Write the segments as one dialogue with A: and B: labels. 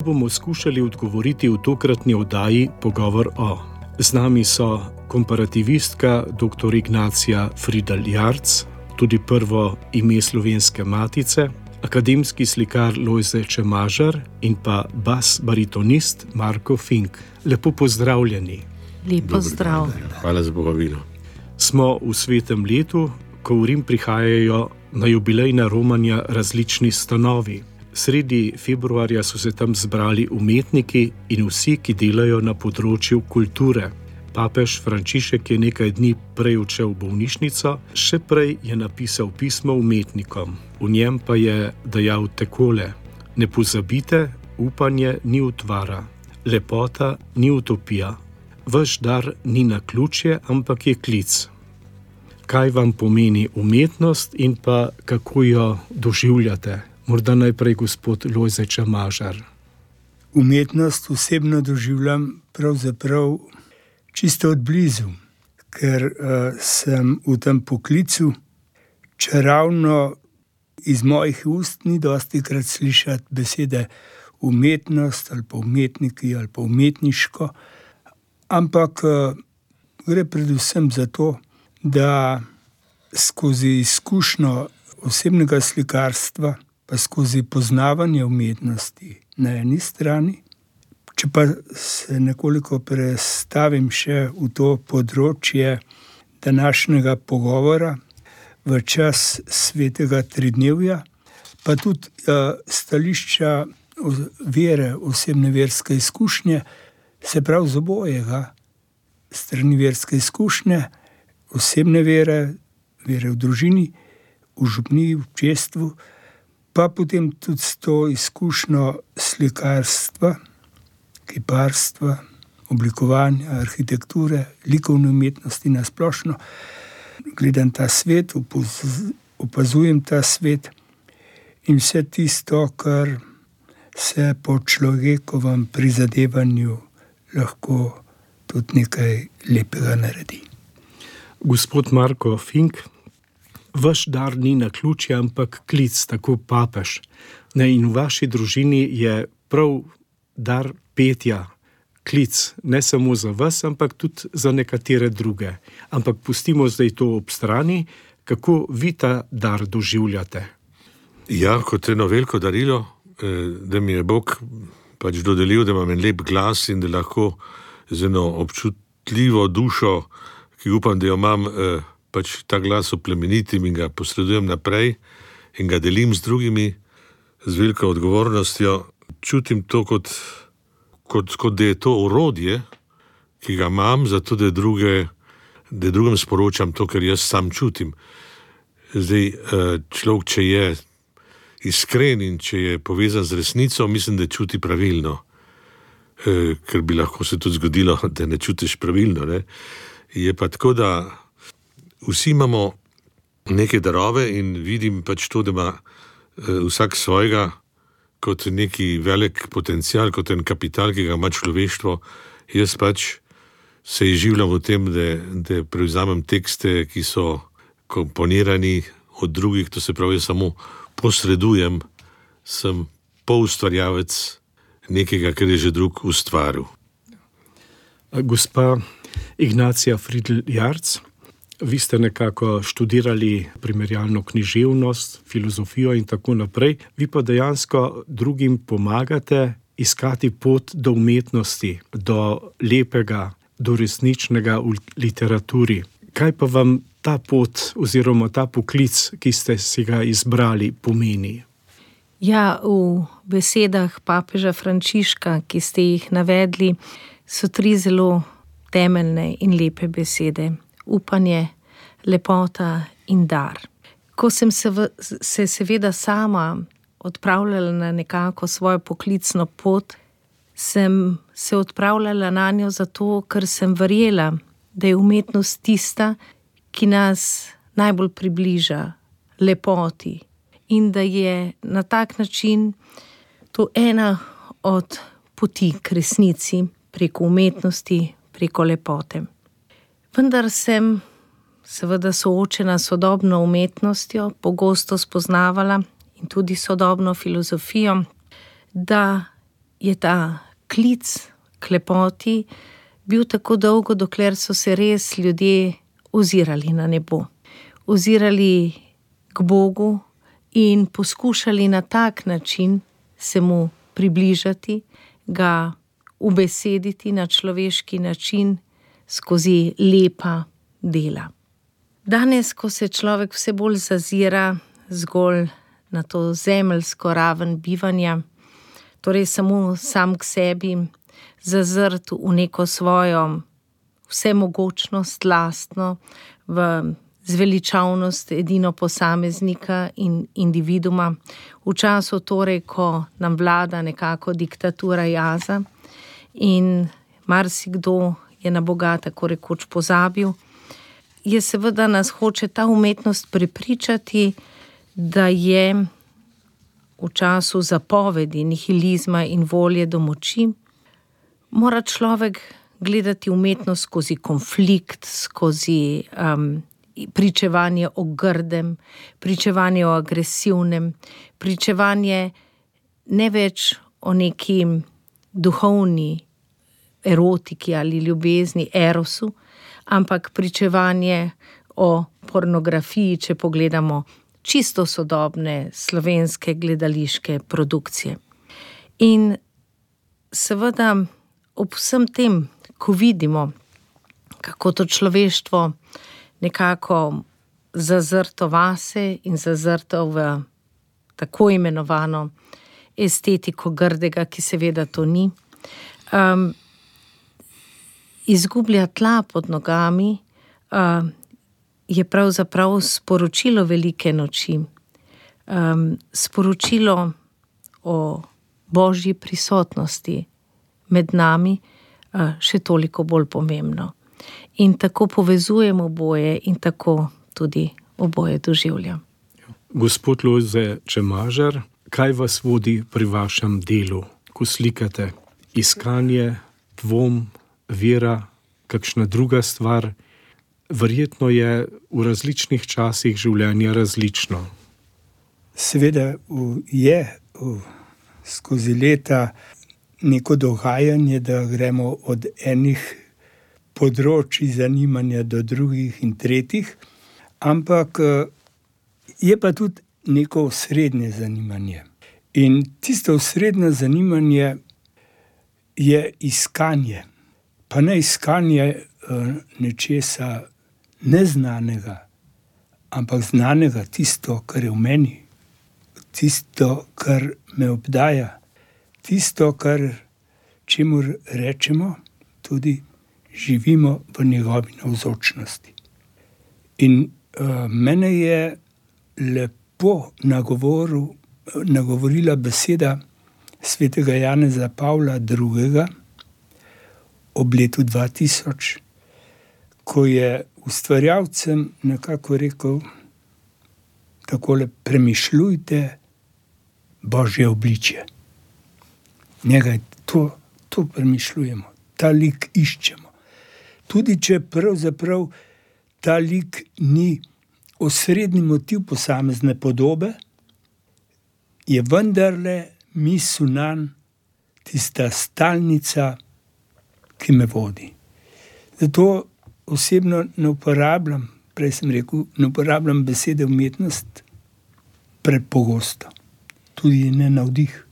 A: bomo skušali odgovoriti v tokratni oddaji Pogovor o. Z nami so komparativistka dr. Ignacija Fridl Jarc, tudi prvo ime Slovenske matice, akademski slikar Lojze Čemažar in pa bas baritonist Marko Fink. Lepo pozdravljeni.
B: Lepo zdrav.
C: Hvala za povabilo.
A: Smo v svetem letu, ko v Rim prihajajo na jubilejna romanja različni stanovi. Sredi februarja so se tam zbrali umetniki in vsi, ki delajo na področju kulture. Papež Frančišek je nekaj dni prej odšel v bolnišnico, še prej je napisal pismo umetnikom. V njem pa je dejal takole: ne pozabite, upanje ni utvara, lepota ni utopija, vaš dar ni naključje, ampak je klic. Kaj vam pomeni umetnost in pa kako jo doživljate? Morda najprej gospod Lojze Čemažar.
D: Umetnost osebno doživljam pravzaprav čisto od blizu, ker sem v tem poklicu, čeravno iz mojih ust ni dostikrat slišati besede umetnost ali pa umetniki ali pa umetniško, ampak gre predvsem za to, da skozi izkušnjo osebnega slikarstva pa skozi poznavanje umetnosti na eni strani, če pa se nekoliko prestavim še v to področje današnjega pogovora v čas svetega tridnevja, pa tudi stališča vere, osebne verske izkušnje, se pravi z obojega, strani verske izkušnje, osebne vere, vere v družini, v župniji, v občestvu, pa potem tudi s to izkušnjo slikarstva, kiparstva, oblikovanja, arhitekture, likovne umetnosti na splošno. Gledam ta svet, opazujem ta svet in vse tisto, kar se po človekovem prizadevanju lahko tudi nekaj lepega naredi.
A: Gospod Marko Fink, vaš dar ni naključje, ampak klic, tako papež. In v vaši družini je prav dar petja, klic, ne samo za vas, ampak tudi za nekatere druge. Ampak pustimo zdaj to ob strani, kako vi ta dar doživljate.
C: Ja, kot eno veliko darilo, da mi je Bog pač dodelil, da imam en lep glas in da lahko z eno občutljivo dušo, ki upam, da jo imam, pač ta glas oplemenitim in ga posredujem naprej in ga delim z drugimi z veliko odgovornostjo. Čutim to kot da je to orodje, ki ga imam, zato da drugim sporočam to, kar jaz sam čutim. Zdaj, človek, če je iskren in če je povezan z resnico, mislim, da čuti pravilno. Ker bi lahko se tudi zgodilo, da ne čutiš pravilno, ne? Je pa tako, da vsi imamo neke darove in vidim pač to, da ima vsak svojega kot neki velik potencial, kot en kapital, ki ga ima človeštvo. Jaz pač se izživljam v tem, da prevzamem tekste, ki so komponirani od drugih, to se pravi, jaz samo posredujem, sem poustvarjavec nekega, kar je že drug ustvaril.
A: Gospa Ignacija Fridl Jarc, vi ste nekako študirali primerjalno književnost, filozofijo in tako naprej, vi pa dejansko drugim pomagate iskati pot do umetnosti, do lepega, do resničnega v literaturi. Kaj pa vam ta pot oziroma ta poklic, ki ste si ga izbrali, pomeni?
B: Ja, v besedah papeža Frančiška, ki ste jih navedli, so 3 zelo temeljne in lepe besede. Upanje, lepota in dar. Ko sem se seveda sama odpravljala na nekako svojo poklicno pot, sem se odpravljala na njo zato, ker sem verjela, da je umetnost tista, ki nas najbolj približa lepoti in da je na tak način to ena od poti k resnici preko umetnosti, preko lepote. Vendar sem seveda soočena s sodobno umetnostjo, pogosto spoznavala in tudi sodobno filozofijo, da je ta klic k lepoti bil tako dolgo, dokler so se res ljudje ozirali na nebo. Ozirali k Bogu in poskušali na tak način se mu približati, ga ubesediti na človeški način skozi lepa dela. Danes, ko se človek vse bolj zazira zgolj na to zemeljsko raven bivanja, torej samo sam k sebi, zazrt v neko svojo vsemogočnost lastno, v zveličavnost edino posameznika in individuma, v času torej, ko nam vlada nekako diktatura jaza in marsikdo je na Boga tako rekoč pozabil, je seveda nas hoče ta umetnost prepričati, da je v času zapovedi, nihilizma in volje do moči, mora človek gledati umetnost skozi konflikt, skozi pričevanje o grdem, pričevanje o agresivnem, pričevanje ne več o neki duhovni erotiki ali ljubezni, erosu, ampak pričevanje o pornografiji, če pogledamo čisto sodobne slovenske gledališke produkcije. In seveda ob vsem tem, ko vidimo, kako to človeštvo nekako zazrto vase in zazrto v tako imenovano estetiko grdega, ki seveda to ni, izgublja tla pod nogami, je pravzaprav sporočilo velike noči, sporočilo o Božji prisotnosti med nami še toliko bolj pomembno. In tako povezujemo oboje in tako tudi oboje doživljam.
A: Gospod Lojze Čemažar, kaj vas vodi pri vašem delu, ko slikate? Iskanje, dvom, vera, kakšna druga stvar? Verjetno je v različnih časih življenja različno.
D: Seveda je skozi leta neko dogajanje, da gremo od enih področij zanimanja do drugih in tretjih, ampak je pa tudi neko osrednje zanimanje. In tisto osrednje zanimanje je iskanje. Pa ne iskanje nečesa neznanega, ampak znanega, tisto, kar je v meni, tisto, kar me obdaja, tisto, čemur rečemo, tudi živimo v njegovi navzočnosti. In mene je lepo nagovorila beseda svetega Janeza Pavla II. Ob letu 2000, ko je ustvarjalcem nekako rekel takole: premišljujte Božje obličje. Njega to premišljujemo, ta lik iščemo. Tudi če pravzaprav ta lik ni osrednji motiv posamezne podobe, je vendarle misel nanj tista stalnica, ki me vodi. Zato osebno ne uporabljam, prej sem rekel, ne uporabljam besede umetnost prepogosto. Tudi ne navdih.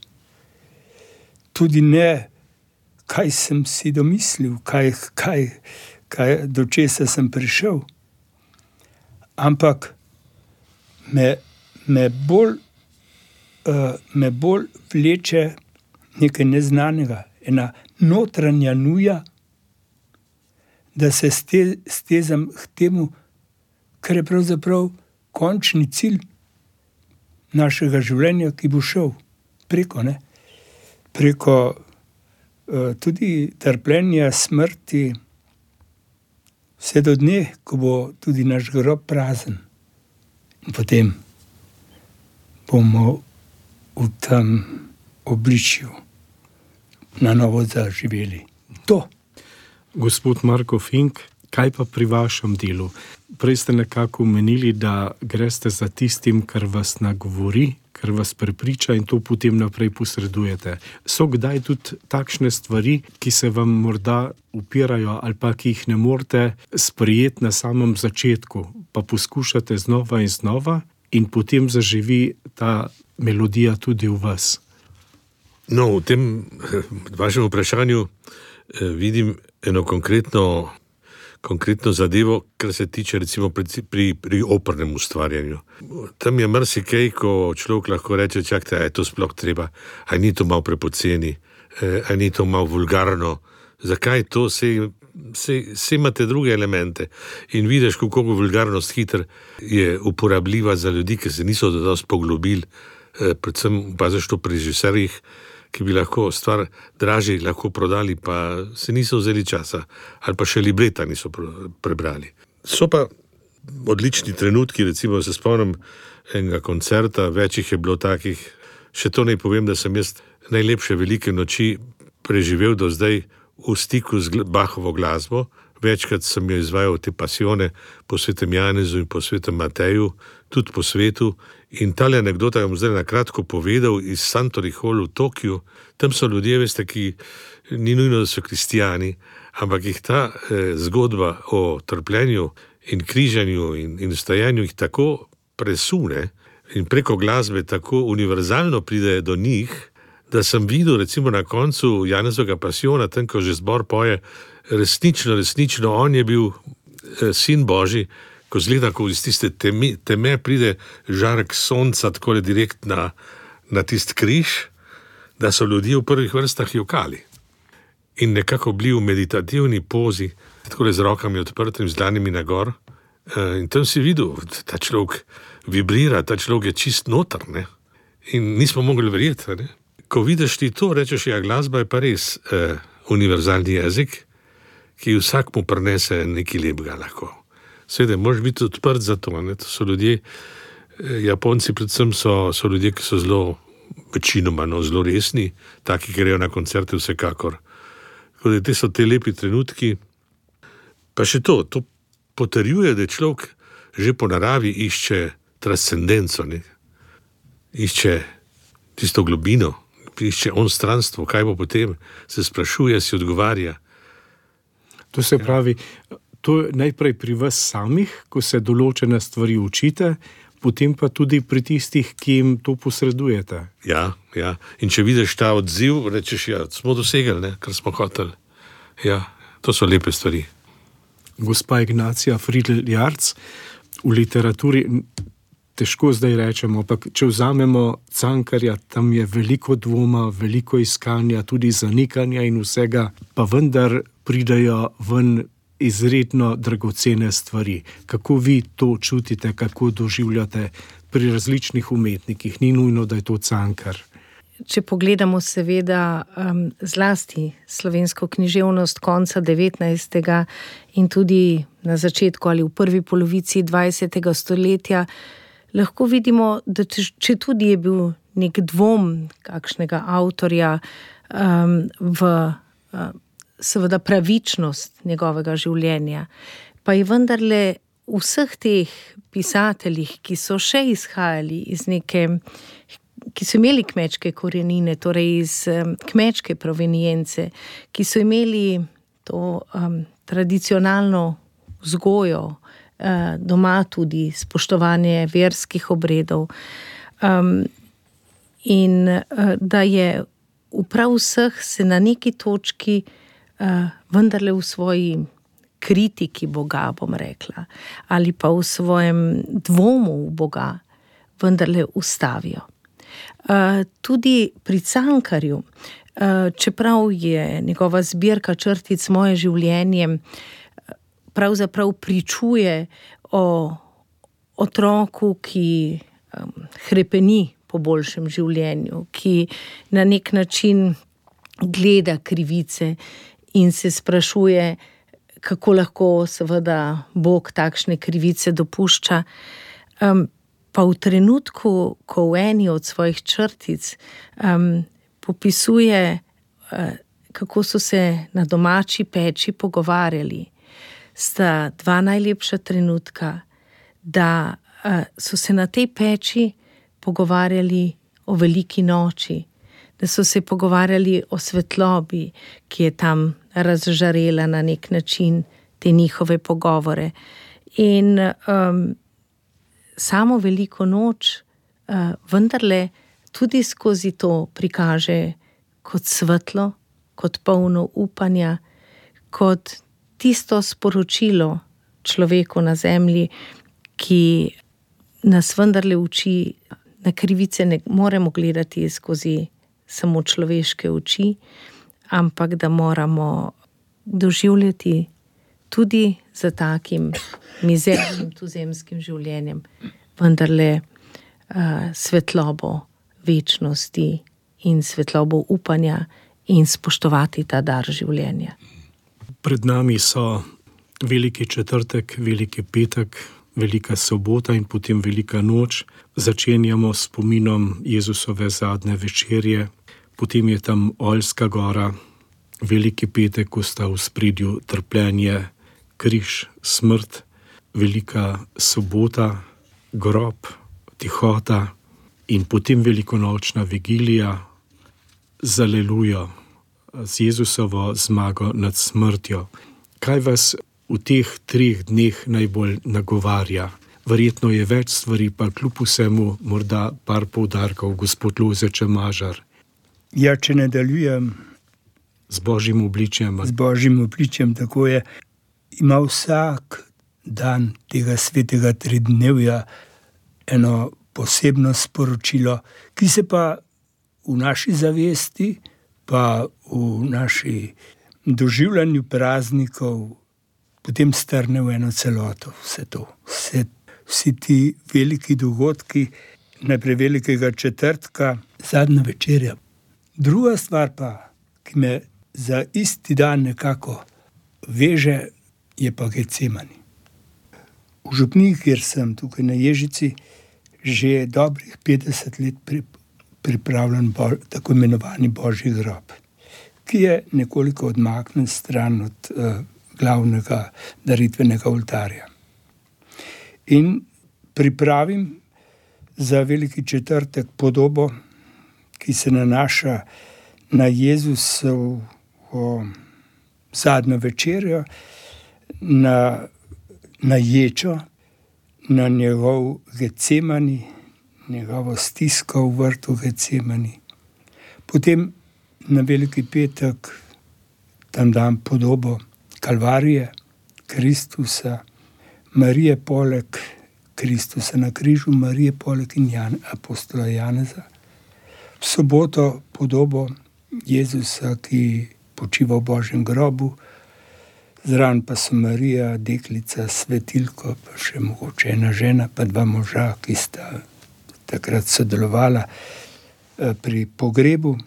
D: Tudi ne, kaj sem si domislil, do česa sem prišel. Ampak me bolj vleče nekaj neznanega, ena notranja nuja, da se stezam k temu, kar je pravzaprav končni cilj našega življenja, ki bo šel preko tudi trpljenja, smrti, vse do dne, ko bo tudi naš grob prazen. In potem bomo v tem obličju na novo zaživeli. To.
A: Gospod Marko Fink, kaj pa pri vašem delu? Prej ste nekako omenili, da greste za tistim, kar vas nagovori, ker vas prepriča in to potem naprej posredujete. So kdaj tudi takšne stvari, ki se vam morda upirajo ali pa ki jih ne morete sprejeti na samem začetku, pa poskušate znova in znova in potem zaživi ta melodija tudi v vas?
C: No, v tem vašem vprašanju vidim eno konkretno zadevo, kar se tiče recimo pri opernem ustvarjanju. Tam je marsikaj, ko človek lahko reče, čakajte, a je to sploh treba, a ni to malo prepoceni, a ni to malo vulgarno, zakaj to, se imate druge elemente in vidiš, kako vulgarnost hitro je uporabljiva za ljudi, ki se niso dosti poglobili, predvsem paziš to pri režiserjih, ki bi lahko stvar dražje lahko prodali, pa se niso vzeli časa, ali pa še libreta niso prebrali. So pa odlični trenutki, recimo se spomnim enega koncerta, večjih je bilo takih, še to naj povem, da sem jaz najlepše velike noči preživel do zdaj v stiku z Bachovo glasbo. Večkrat sem jo izvajal te pasione po svetem Janezu in po svetem Mateju, tudi po svetu. In tale anekdota bom zdaj na kratko povedal iz Suntory Hall v Tokiu. Tam so ljudje, veste, ki ni nujno, da so kristijani, ampak jih ta zgodba o trpljenju in križanju in vstajanju jih tako presune in preko glasbe tako univerzalno pride do njih, da sem videl recimo na koncu Janezovega pasiona, tam, ko že zbor poje, resnično, on je bil sin Božji, ko zgleda, ko iz tiste teme pride žarek sonca, takole direkt na tist križ, da so ljudje v prvih vrstah jokali. In nekako bili v meditativni pozi, takole z rokami odprtimi, z dlanimi na gor. In tam si videl, ta človek vibrira, ta človek je čist noter, ne? In nismo mogli verjeti, ne? Ko vidiš ti to, rečeš, ja, glasba je pa res univerzalni jezik, ki vsak mu prinese nekaj lepega lahko. Seveda, moraš biti odprt za to, ne? To so ljudje, Japonci predvsem so ljudje, ki so večinoma zelo resni, taki, ki grejo na koncerte vsekakor. Tako da te so te lepi trenutki. Pa še to potrjuje, da človek že po naravi išče transcendenco, ne? Išče tisto globino, išče onstranstvo, kaj bo potem, se sprašuje, si odgovarja.
A: To se pravi, to je najprej pri vas samih, ko se določene stvari učite, potem pa tudi pri tistih, ki jim to posredujete.
C: Ja. In če vidiš ta odziv, rečeš, ja, smo dosegli, ne, kar smo hoteli. Ja, to so lepe stvari.
A: Gospa Ignacija Friedl-Jarc, v literaturi težko zdaj rečemo, ampak če vzamemo Cankarja, tam je veliko dvoma, veliko iskanja, tudi zanikanja in vsega, pa vendar pridajo ven izredno dragocene stvari. Kako vi to čutite, kako doživljate pri različnih umetnikih? Ni nujno, da je to Cankar.
B: Če pogledamo seveda zlasti slovensko književnost konca 19. in tudi na začetku ali v prvi polovici 20. stoletja, lahko vidimo, da če tudi je bil nek dvom kakšnega avtorja v seveda pravičnost njegovega življenja, pa je vendarle vseh teh pisateljih, ki so še izhajali iz ki so imeli kmečke korenine, torej iz kmečke provenience, ki so imeli to tradicionalno vzgojo, doma tudi spoštovanje verskih obredov, in da je prav vseh se na neki točki vendarle v svoji kritiki Boga, bom rekla, ali pa v svojem dvomu v Boga vendarle ustavijo. Tudi pri Cankarju, čeprav je njegova zbirka črtic Moje življenje, pravzaprav pričuje o otroku, ki hrepeni po boljšem življenju, ki na nek način gleda krivice in se sprašuje, kako lahko seveda Bog takšne krivice dopušča. Pa v trenutku, ko v eni od svojih črtic popisuje, kako so se na domači peči pogovarjali, sta dva najlepša trenutka, da so se na tej peči pogovarjali o veliki noči, da so se pogovarjali o svetlobi, ki je tam razžarela na nek način te njihove pogovore. In samo veliko noč vendarle tudi skozi to prikaže kot svetlo, kot polno upanja, kot tisto sporočilo človeku na zemlji, ki nas vendarle uči, na krivice ne moremo gledati skozi samo človeške oči, ampak da moramo doživljati tudi za takim mizernim tuzemskim življenjem vendarle svetlobo večnosti in svetlobo upanja in spoštovati ta dar življenja.
A: Pred nami so veliki četrtek, veliki petek, velika sobota in potem velika noč. Začenjamo s spominom Jezusove zadnje večerje, potem je tam Oljska gora, veliki petek, ko sta v spredju trpljenje, križ, smrt, velika sobota, grob, tihota in potem velikonočna vigilija z alelujo, z Jezusovo zmago nad smrtjo. Kaj vas v teh 3 dneh najbolj nagovarja? Verjetno je več stvari, pa kljub vsemu morda par poudarkov, gospod Lojze Čemažar.
D: Ja, če nadaljujem
A: z Božjim obličjem.
D: Z Božjim obličjem, tako je. Ima vsak dan tega svetega tridnevja eno posebno sporočilo, ki se pa v naši zavesti, pa v naši doživljanju praznikov potem strne v eno celoto. Vse to, vsi ti veliki dogodki, najprej velikega četrtka, zadnja večerja. Druga stvar pa, ki me za isti dan nekako veže, je pa Getsemani. V župniji, kjer sem tukaj na Ježici, že dobrih 50 let pripravljen tako imenovani Božji grob, ki je nekoliko odmaknen stran od glavnega daritvenega oltarja. In pripravim za veliki četrtek podobo, ki se nanaša na Jezusovo zadnjo večerjo, na ječo, na njegov Getsemani, njegovo stisko v vrtu Getsemani. Potem na veliki petek tam dam podobo Kalvarije, Kristusa, Marije poleg Kristusa na križu, Marije poleg in apostola Janeza. V soboto podobo Jezusa, ki počiva v Božjem grobu, zraven pa so Marija, deklica, svetilko, pa še mogoče ena žena, pa 2 moža, ki sta takrat sodelovala pri pogrebu.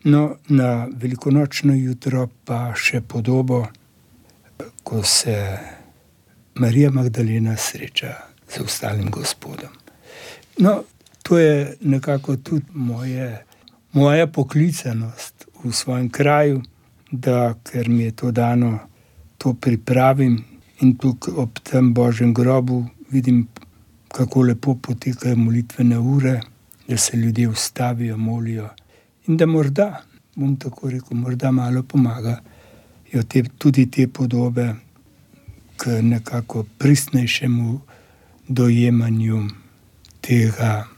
D: No, na velikonočno jutro pa še podobo, ko se Marija Magdalena sreča z ostalim Gospodom. No, to je nekako tudi moja poklicanost v svojem kraju, da ker mi je to dano, to pripravim in tukaj ob tem Božjem grobu vidim, kako lepo potekajo molitvene ure, da se ljudje ustavijo, molijo in da morda, bom tako rekel, morda malo pomagajo tudi te podobe k nekako pristnejšemu dojemanju tega,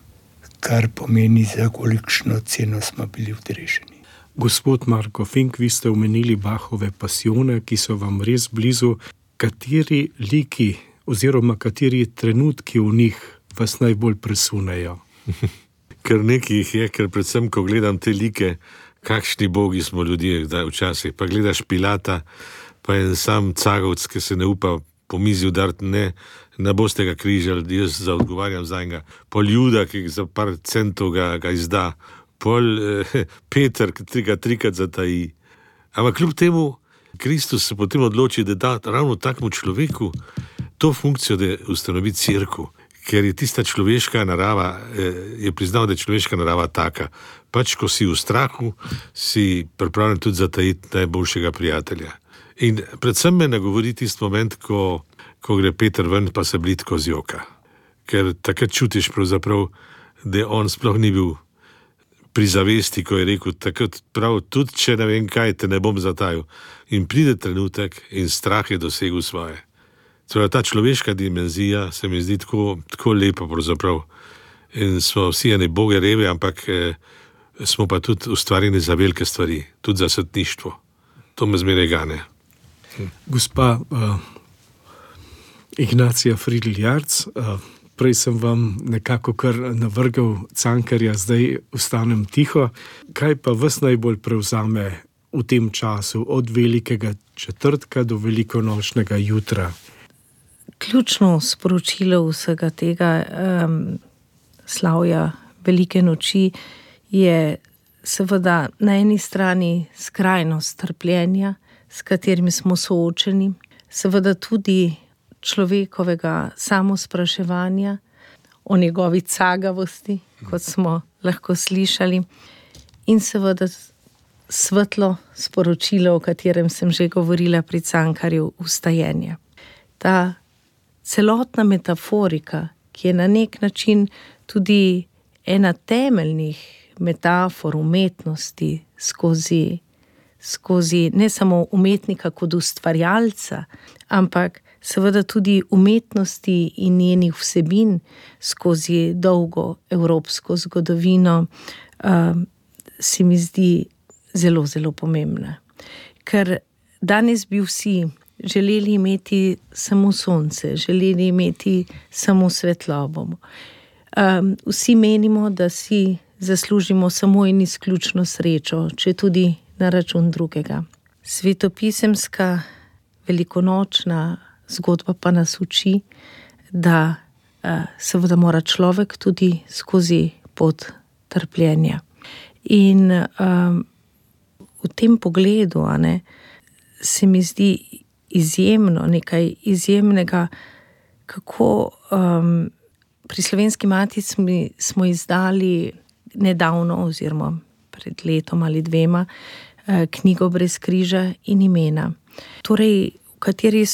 D: kar pomeni, za kolikšno ceno smo bili odrešeni.
A: Gospod Marko Fink, vi ste omenili Bachove pasione, ki so vam res blizu. Kateri liki oziroma kateri trenutki v njih vas najbolj presunejo?
C: Ker nekaj jih je, ker predvsem, ko gledam te like, kakšni bogi smo ljudje včasih. Pa gledaš Pilata, pa en sam cagovc, ki se ne upa po mizi udariti, ne boste ga križali, jaz zaodgovarjam za njega. Pol Juda, ki za par centov ga izda. Pol Peter, ki ga 3krat zataji. Ampak kljub temu, Kristus se potem odloči, da da ravno takmu človeku to funkcijo, da ustanovi cerkev. Ker je tista človeška narava, je priznal, da je človeška narava taka. Pač, ko si v strahu, si pripravljen tudi zatajiti najboljšega prijatelja. In predvsem me nagovori tisti moment, ko gre Peter ven, pa se blitko zjoka. ker takrat čutiš pravzaprav, da on sploh ni bil pri zavesti, ko je rekel, takrat prav, tudi če ne vem kaj, te ne bom zatajil. In pride trenutek in strah je dosegel svoje. Torej, ta človeška dimenzija se mi zdi tako lepa pravzaprav. In smo vsi ene boge revi, ampak smo pa tudi ustvarjeni za velike stvari, tudi za svetništvo. To me zmeraj gane.
A: Gospa Ignacija Fridl-Jarc, prej sem vam nekako kar navrgal Cankarja, zdaj ostanem tiho. Kaj pa vas najbolj prevzame v tem času, od velikega četrtka do velikonočnega jutra?
B: Ključno sporočilo vsega tega slavja velike noči je seveda na eni strani skrajnost trpljenja, s katerim smo soočeni, seveda tudi človekovega samospraševanja o njegovi cagavosti, kot smo lahko slišali, in seveda svetlo sporočilo, o katerem sem že govorila pri Cankarju, vstajenje. Ta celotna metaforika, ki je na nek način tudi ena temeljnih metafor umetnosti skozi ne samo umetnika kot ustvarjalca, ampak seveda tudi umetnosti in njenih vsebin skozi dolgo evropsko zgodovino, se mi zdi zelo, zelo pomembna. Ker danes bi vsi želeli imeti samo sonce, želeli imeti samo svetlobo. Vsi menimo, da si zaslužimo samo in izključno srečo, če tudi na račun drugega. Svetopisemska velikonočna zgodba pa nas uči, da seveda mora človek tudi skozi pot trpljenja. In v tem pogledu se mi zdi izjemno, nekaj izjemnega, kako pri Slovenski matici smo izdali nedavno oziroma pred letom ali dvema knjigo Brez križa in imena. Torej, v kateri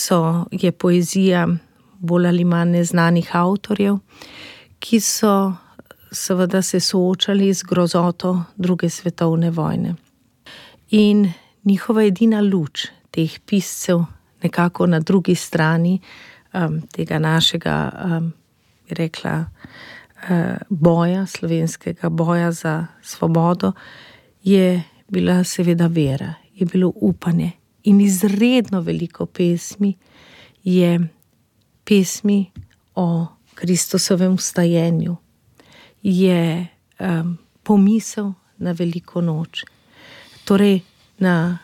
B: je poezija bolj ali manj neznanih avtorjev, ki so seveda se soočali z grozoto druge svetovne vojne. In njihova edina luč teh piscev nekako na drugi strani tega našega, bi rekla, boja, slovenskega boja za svobodo, je bila seveda vera, je bilo upanje. In izredno veliko pesmi je pesmi o Kristusovem vstajenju, je pomisel na veliko noč. Torej na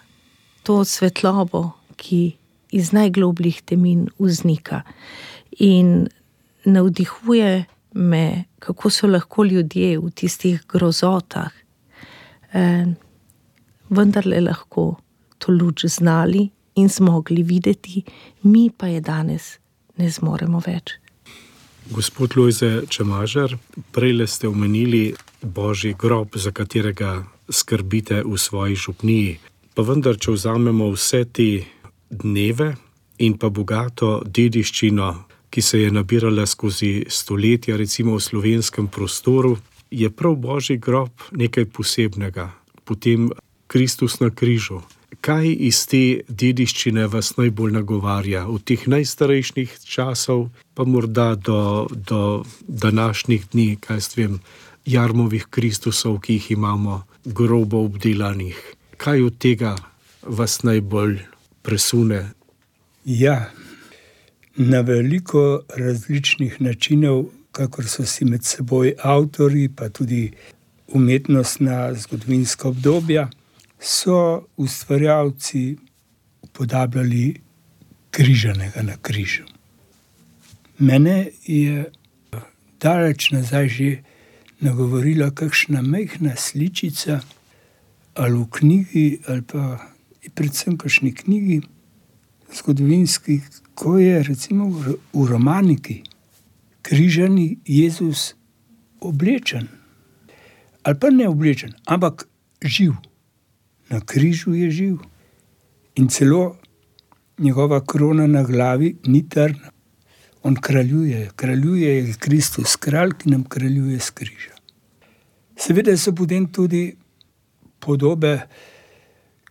B: to svetlobo, ki iz najglobljih temin vznika. In navdihuje me, kako so lahko ljudje v tistih grozotah vendarle lahko to luč znali in zmogli videti, mi pa je danes ne zmoremo več.
A: Gospod Lojze Čemažar, prejle ste omenili Božji grob, za katerega skrbite v svoji župniji. Pa vendar, če vzamemo vse te dneve in pa bogato dediščino, ki se je nabirala skozi stoletja, recimo v slovenskem prostoru, je prav Božji grob nekaj posebnega. Potem Kristus na križu. Kaj iz te dediščine vas najbolj nagovarja? Od teh najstarejših časov pa morda do današnjih dni, kaj vem, jarmovih Kristusov, ki jih imamo grobo obdelanih. Kaj od tega vas najbolj presune?
D: Ja, na veliko različnih načinov, kakor so si med seboj avtorji, pa tudi umetnostna zgodovinska obdobja, so ustvarjalci upodabljali križanega na križu. Mene je daleč nazaj že nagovorila kakšna majhna sličica ali v knjigi, ali pa predvsem kakšni knjigi zgodovinski, ko je recimo v romaniki križani Jezus oblečen. Ali pa ne oblečen, ampak živ. Na križu je živ. In celo njegova krona na glavi ni trn. On kraljuje, je Kristus, kralj, ki nam kraljuje s križa. Seveda so potem tudi podobe,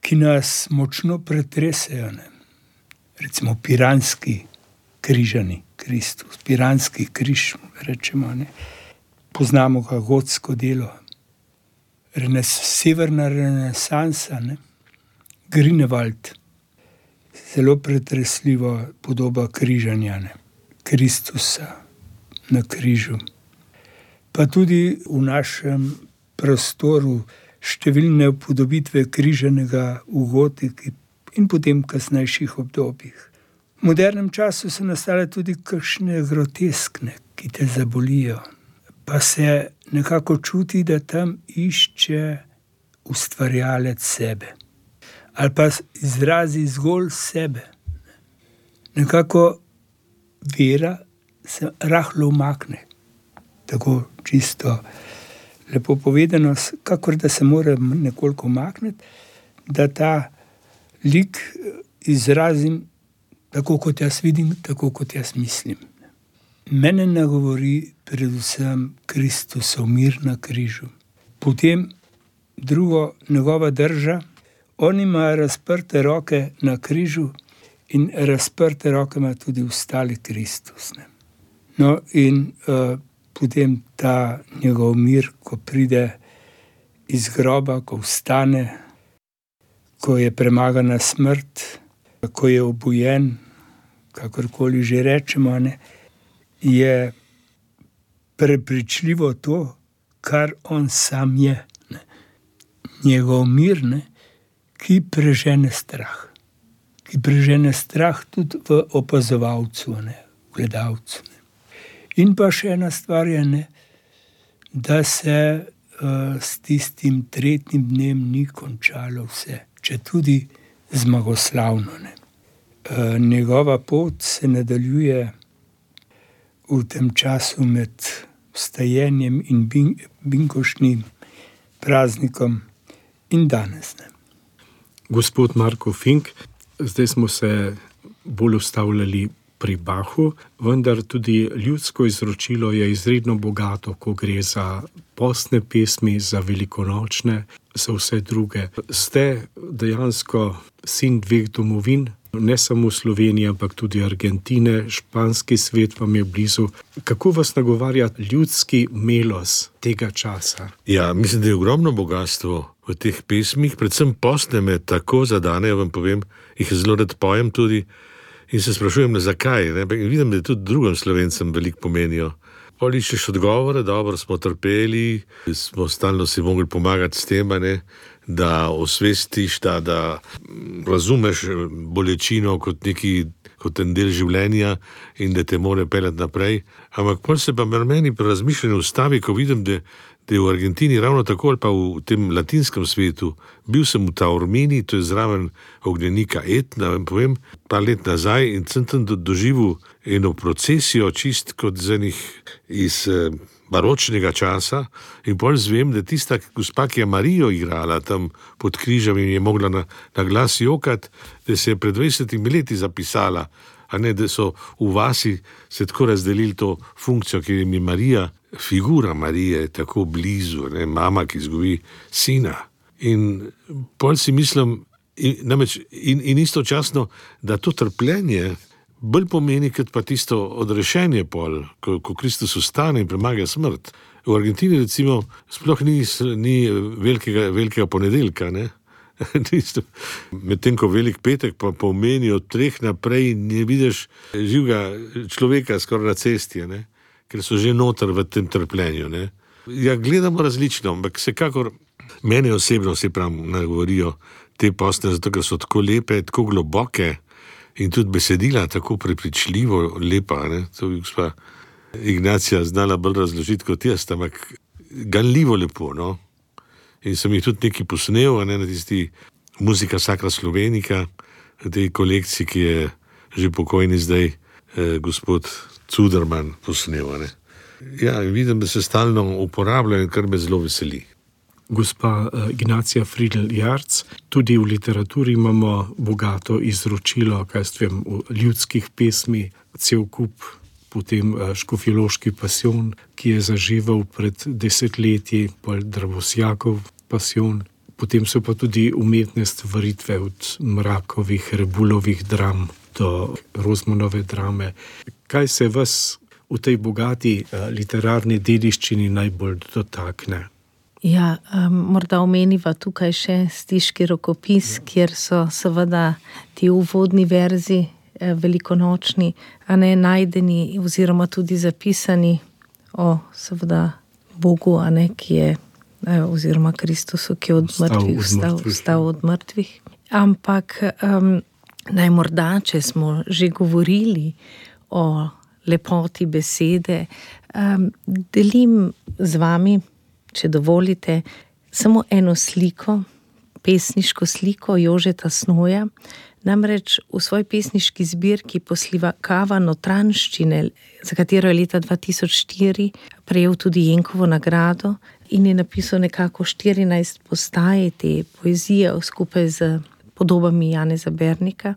D: ki nas močno pretresejo. Ne? Recimo piranski križani Kristus, piranski križ, rečemo. Ne? Poznamo ga gotsko delo, severna renesansa, ne? Grünewald, zelo pretresljiva podoba križanja, ne? Kristusa na križu. Pa tudi v našem prostoru številne upodobitve križanega v gotiki in potem kasnejših obdobjih. V modernem času so nastale tudi kakšne groteskne, ki te zabolijo. Pa se nekako čuti, da tam išče ustvarjalec sebe. Ali pa izrazi zgolj sebe. Nekako vera se rahlo umakne. Tako čisto lepo povedano, kakor da se mora nekoliko umakniti, da ta lik izrazim tako, kot jaz vidim, tako, kot jaz mislim. Mene nagovori predvsem Kristusov mir na križu. Potem drugo, njegova drža. On ima razprte roke na križu in razprte roke ima tudi ostali Kristus. Ne? No in potem ta njegov mir, ko pride iz groba, ko vstane, ko je premagana smrt, ko je obujen, kakorkoli že rečemo, ne, je prepričljivo to, kar on sam je. Ne. Njegov mir, ne, ki prežene strah. Ki prežene strah tudi v opazovalcu, ne, v gledalcu. Ne. In pa še ena stvar je, ne, da se s tistim tretjim dnem ni končalo vse, če tudi zmagoslavno. Ne. Njegova pot se nadaljuje v tem času med vstajenjem in binkoštnim praznikom in danes. Ne.
A: Gospod Marko Fink, zdaj smo se bolj ustavljali pri Bachu, vendar tudi ljudsko izročilo je izredno bogato, ko gre za postne pesmi, za velikonočne, za vse druge. Ste dejansko sin dveh domovin, ne samo Slovenije, ampak tudi Argentine, španski svet vam je blizu. Kako vas nagovarja ljudski melos tega časa?
C: Ja, mislim, da je ogromno bogatstvo v teh pesmih, predvsem postne me tako zadanejo, vam povem, jih zelo rad pojem tudi in se sprašujem, zakaj. Ne? Vidim, da tudi drugim Slovencem veliko pomenijo. Pol iščeš odgovore, dobro smo trpeli, smo stalno si mogli pomagati s tem, ne? Da osvestiš, da razumeš bolečino kot en del življenja in da te more peljati naprej. Ampak pol se pa meni pri razmišljanju ustavi, ko vidim, da je v Argentini ravno tako ali pa v tem latinskem svetu. Bil sem v Taormini, to je zraven ognjenika Etna, vam povem, par let nazaj in sem tam doživel eno procesijo, čist kot iz baročnega časa in pol zvem, da tista gospa, ki je Marijo igrala tam pod križem in je mogla na glas jokati, da se je pred 20 leti zapisala, a ne, da so v vasi se tako razdelili to funkcijo, ki jim je Marija, figura Marije je tako blizu, ne, mama, ki izgubi sina. In pol si mislim, in istočasno, da to trpljenje bolj pomeni, kot pa tisto odrešenje pol, ko Kristus ustane in premaga smrt. V Argentini recimo sploh ni velikega ponedeljka, ne? Medtem ko velik petek pa pomeni od 3 naprej ne vidiš živega človeka skoraj na cesti, ne? Ker so že noter v tem trpljenju. Ne? Ja, gledamo različno, ampak vsekakor mene osebno se nagovorijo te postne, zato ker so tako lepe, tako globoke in tudi besedila tako prepričljivo lepa. Ne? To bi gospa Ignacija znala bolj razložiti kot jaz, ampak ganljivo lepo, no? In sem jih tudi nekaj posnel, ne, na tisti Muzika Sacra Slovenica, v tej kolekciji, ki je že pokojni zdaj gospod Cuderman posnel. Ne. Ja, vidim, da se stalno uporabljajo, kar me zelo veseli.
A: Gospa Ignacija Friedl-Jarc, tudi v literaturi imamo bogato izročilo, v ljudskih pesmi, cel kup potem Škofjeloški pasijon, ki je zaživel pred desetletji, pol Dravosjakov pasijon. Potem so pa tudi umetne stvaritve od Mrakovih, Rebulovih dram do Rozmanove drame. Kaj se vas v tej bogati literarni dediščini najbolj dotakne?
B: Ja, morda omeniva tukaj še Stiški rokopis, kjer so seveda ti uvodni verzi velikonočni, najdeni oziroma tudi zapisani o seveda Bogu, ki je oziroma Kristusu, ki je vstal od mrtvih. Ampak naj morda, če smo že govorili o lepoti besede, delim z vami, če dovolite, samo eno sliko, pesniško sliko Jožeta Snoja. Namreč v svoji pesniški zbirki Poslikava notranjščine, za katero je leta 2004 prejel tudi Jenkovo nagrado in je napisal nekako 14 postaje te poezije skupaj z podobami Janeza Bernika,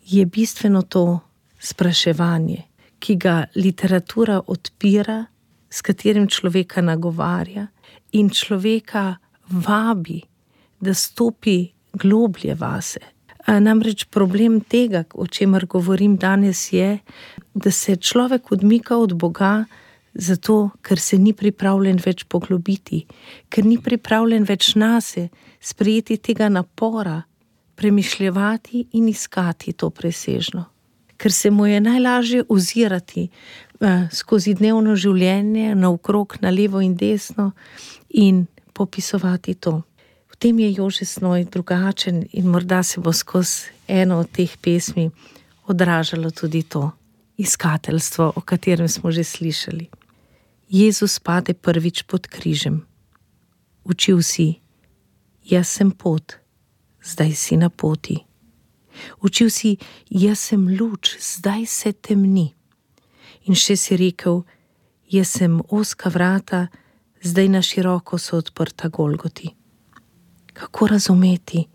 B: je bistveno to spraševanje, ki ga literatura odpira, s katerim človeka nagovarja in človeka vabi, da stopi globlje vase. Namreč problem tega, o čemer govorim danes, je, da se človek odmika od Boga zato, ker se ni pripravljen več poglobiti, ker ni pripravljen več nase sprejeti tega napora, premišljevati in iskati to presežno. Ker se mu je najlažje ozirati skozi dnevno življenje, naokrog, na levo in desno in popisovati to. V tem je Jože Snoj drugačen in morda se bo skozi eno od teh pesmi odražalo tudi to iskateljstvo, o katerem smo že slišali. Jezus pade prvič pod križem. Učil si, jaz sem pot, zdaj si na poti. Učil si, jaz sem luč, zdaj se temni. In še si rekel, jaz sem ozka vrata, zdaj na široko so odprta Golgoti. Kako razumeti,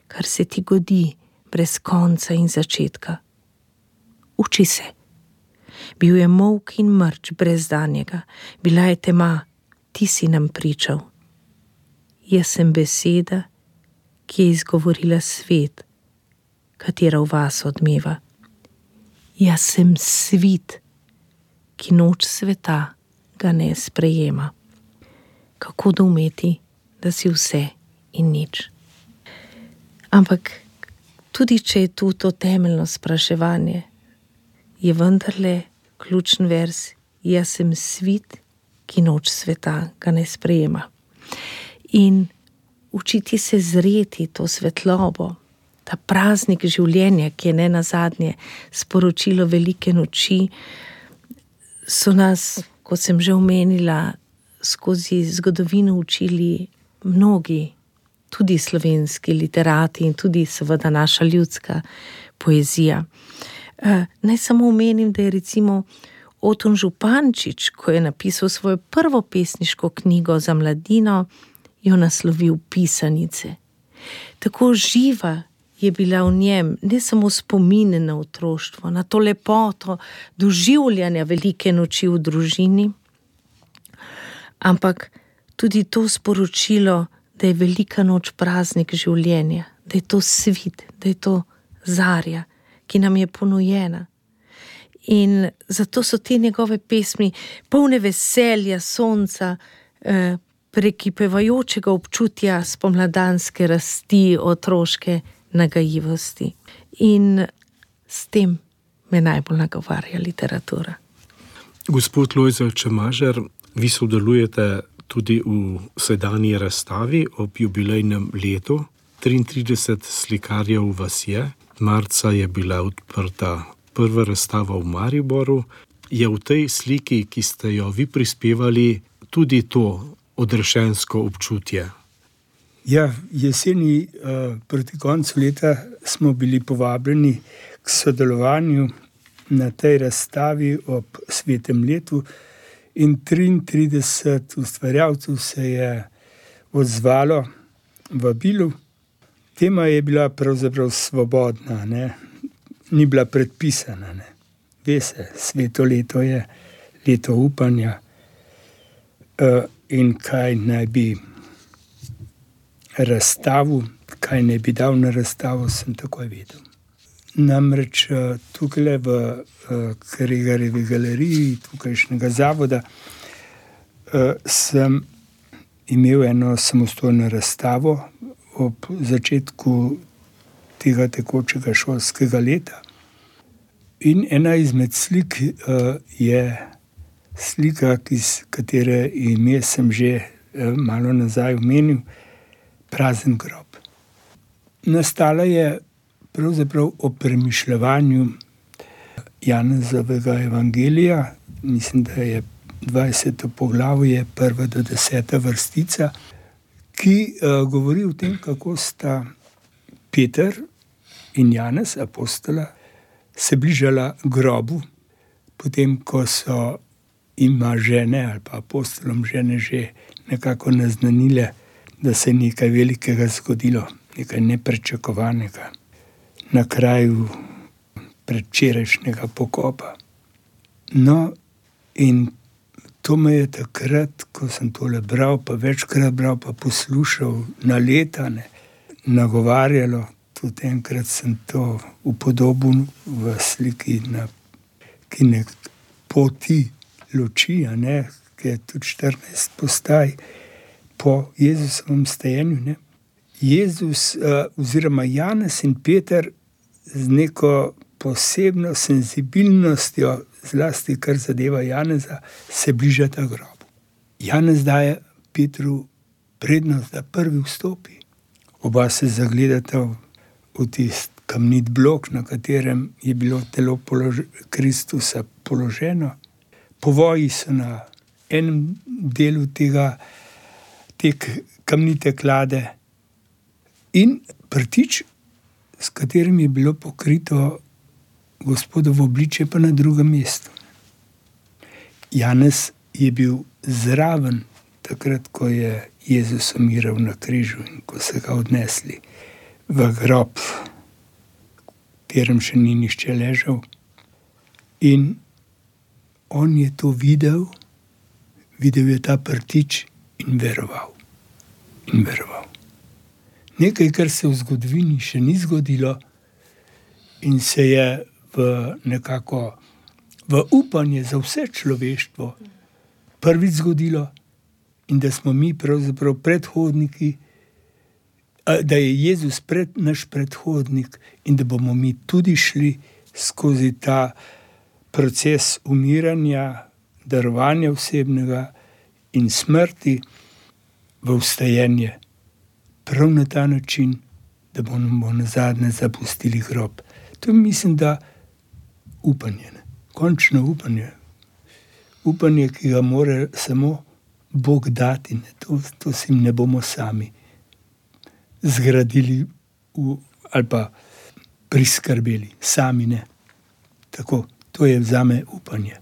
B: kar se ti godi brez konca in začetka? Uči se. Bil je molk in mrč brez danjega, bila je tema, ti si nam pričal. Jaz sem beseda, ki je izgovorila svet, katera v vas odmeva. Jaz sem svit, ki noč sveta ga ne sprejema. Kako doumeti, da si vse in nič. Ampak tudi če je tu to temeljno spraševanje, je vendarle ključen vers, jaz sem svit, ki noč sveta ga ne sprejema. In učiti se zreti to svetlobo, ta praznik življenja, ki je nenazadnje sporočilo velike noči, so nas, kot sem že omenila, skozi zgodovino učili mnogi, tudi slovenski literati in tudi seveda naša ljudska poezija. Naj samo omenim, da je recimo Oton Župančič, ko je napisal svojo prvo pesniško knjigo za mladino, jo naslovil Pisanice. Tako živa je bila v njem ne samo spomine na otroštvo, na to lepoto doživljanja velike noči v družini, ampak tudi to sporočilo, da je velika noč praznik življenja, da je to svit, da je to zarja, ki nam je ponujena. In zato so te njegove pesmi polne veselja, sonca, prekipevajočega občutja spomladanske rasti, otroške nagajivosti. In s tem me najbolj nagovarja literatura.
A: Gospod Lojze Čemažer, vi sodelujete tudi v sedanji razstavi ob jubilejnem letu. 33 slikarjev vas je. Marca je bila odprta prva razstava v Mariboru. Je v tej sliki, ki ste jo vi prispevali, tudi to odrešensko občutje?
D: Ja, jeseni proti koncu leta smo bili povabljeni k sodelovanju na tej razstavi ob svetem letu in 33 ustvarjalcev se je odzvalo vabilu. Tema je bila pravzaprav svobodna, ni bila predpisana. ve se, sveto leto je leto upanja. In kaj naj bi razstavil, kaj naj bi dal na razstavo, sem takoj vedel. Namreč tukaj v Kregarjevi galeriji, tukajšnjega zavoda, sem imel eno samostojno razstavo ob začetku tega tekočega šolskega leta. In ena izmed slik je slika, katere ime sem že malo nazaj omenil, Prazen grob. Nastala je pravzaprav o premišljevanju Janezovega evangelija, mislim, da je 20. poglavje, 1. do 10. vrstica, ki govori o tem, kako sta Peter in Janez, apostola, se bližala grobu, potem, ko so ima žene ali pa apostolom žene že nekako naznanile, da se je nekaj velikega zgodilo, nekaj neprečakovanega na kraju predvčerajšnjega pokopa. No, in to me je takrat, ko sem tole bral, pa večkrat bral, pa poslušal na leta, nagovarjalo. Tudi enkrat sem to upodobil v sliki na poti luči, ki je tudi 14 postaj po Jezusovem stajenju. Jezus oziroma Janez in Peter z neko posebno senzibilnostjo, zlasti kar zadeva Janeza, se bližata grobu. Janez daje Petru prednost, da prvi vstopi. Oba se zagledata v tisti kamnit blok, na katerem je bilo telo Kristusa položeno. Povoji so na enem delu te kamnite klade in prtič, s katerim je bilo pokrito Gospodovo obličje, pa na drugem mestu. Janez je bil zraven takrat, ko je Jezus umiral na križu in ko so ga odnesli v grob, v katerem še ni nihče ležal. In on je to videl je ta prtič in veroval. Nekaj, kar se v zgodovini še ni zgodilo in se je nekako v upanje za vse človeštvo prvič zgodilo in da smo mi pravzaprav predhodniki, da je Jezus naš predhodnik in da bomo mi tudi šli skozi ta proces umiranja, darovanja osebnega in smrti v vstajenje. Prav na ta način, da bomo nazadnje zapustili grob. To mislim, da upanje, končno upanje. Upanje, ki ga mora samo Bog dati. To si ne bomo sami zgradili ali pa priskrbeli. Sami ne. Tako, to je zame upanje.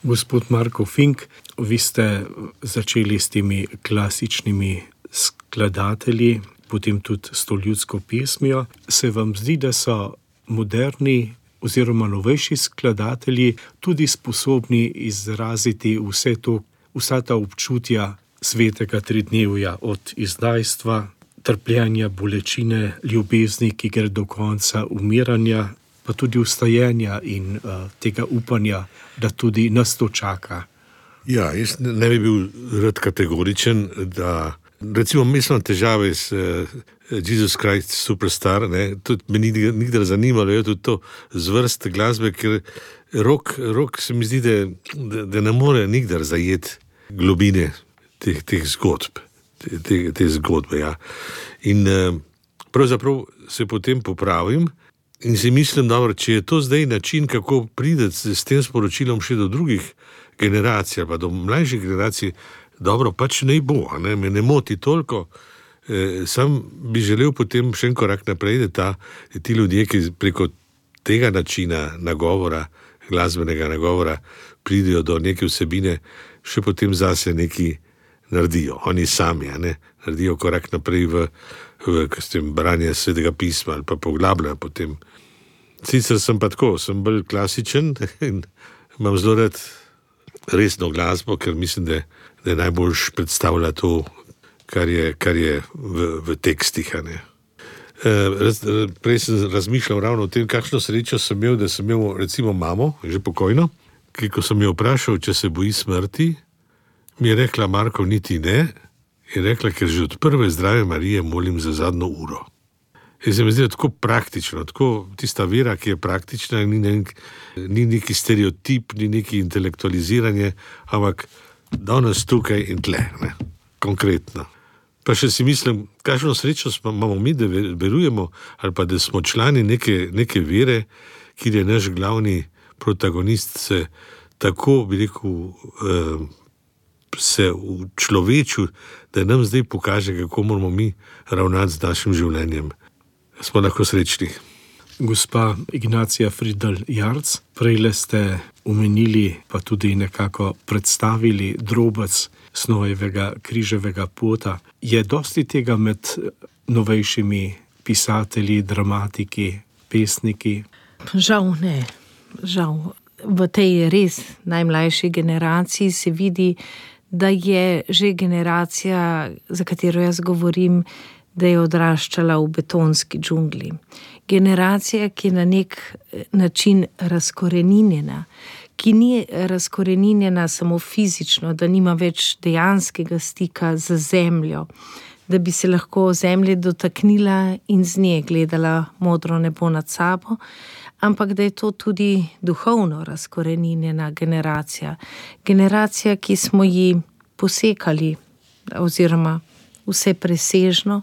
A: Gospod Marko Fink, vi ste začeli s temi klasičnimi skladatelji, potem tudi s to ljudsko pesmijo. Se vam zdi, da so moderni oziroma novejši skladatelji tudi sposobni izraziti vsa ta občutja svetega tridnevja, od izdajstva, trpljenja, bolečine, ljubezni, ki gre do konca, umiranja, pa tudi vstajenja in tega upanja, da tudi nas to čaka?
C: Ja, jaz ne bi bil rad kategoričen, da recimo mislim težave s Jesus Christ Superstar, tudi me nikdar zanimalo je tudi to zvrst glasbe, ker rock se mi zdi, da ne more nikdar zajeti globine teh zgodb, te zgodbe, ja. In pravzaprav se potem popravim in si mislim, dobro, če je to zdaj način, kako prideti s tem sporočilom še do drugih generacij, pa do mlajših generacij, dobro, pač ne bo, me ne moti toliko. Sam bi želel potem še en korak naprej, da ti ljudje, ki preko tega načina nagovora, glasbenega nagovora, pridejo do neke vsebine, še potem zase neki naredijo. Oni sami, naredijo korak naprej v branje Svetega pisma ali pa poglabljajo potem Sicer sem pa tako, sem bolj klasičen in imam zelo rad resno glasbo, ker mislim, da najboljš predstavlja to, kar je v tekstih. Prej sem razmišljal ravno o tem, kakšno srečo sem imel, da sem imel recimo mamo, že pokojno, ki ko sem jo vprašal, če se boji smrti, mi je rekla: Marko, niti ne. Je rekla, ker že od prve Zdrave Marije molim za zadnjo uro. In se mi zdi tako praktično, tako tista vera, ki je praktična, ni neki stereotip, ni neki intelektualiziranje, ampak danes tukaj in tle, ne, konkretno. Pa še si mislim, kakšno srečo imamo mi, da verujemo, ali pa da smo člani neke vere, kjer je naš glavni protagonist se tako, bi rekel, se v človeču, da nam zdaj pokaže, kako moramo mi ravnati z našim življenjem. Smo lahko srečni.
A: Gospa Ignacija Fridl-Jarc, prejle ste omenili, pa tudi nekako predstavili drobec Snojevega križevega pota. Je dosti tega med novejšimi pisatelji, dramatiki, pesniki?
B: Žal ne, žal. V tej res najmlajši generaciji se vidi, da je že generacija, za katero jaz govorim, da je odraščala v betonski džungli. Generacija, ki je na nek način razkoreninjena, ki ni razkoreninjena samo fizično, da nima več dejanskega stika z zemljo, da bi se lahko zemlje dotaknila in z nje gledala modro nebo nad sabo, ampak da je to tudi duhovno razkoreninjena generacija. Generacija, ki smo ji posekali, oziroma vse presežno,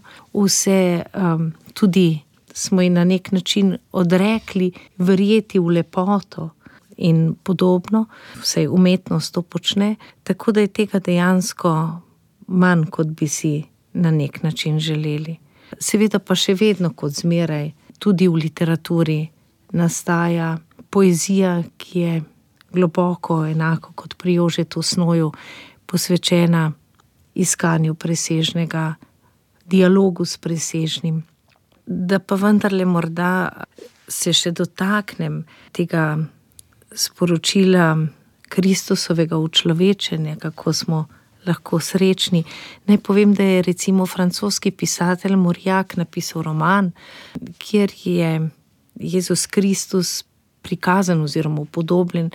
B: tudi smo ji na nek način odrekli verjeti v lepoto in podobno, vsaj umetnost to počne, tako da je tega dejansko manj, kot bi si na nek način želeli. Seveda pa še vedno, kot zmeraj, tudi v literaturi nastaja poezija, ki je globoko, enako kot pri Jožetu Snoju, posvečena iskanju presežnega, dialogu s presežnim. Da pa vendarle morda se še dotaknem tega sporočila Kristusovega učlovečenja, kako smo lahko srečni. Naj povem, da je recimo francoski pisatelj Mauriac napisal roman, kjer je Jezus Kristus prikazan oziroma upodobljen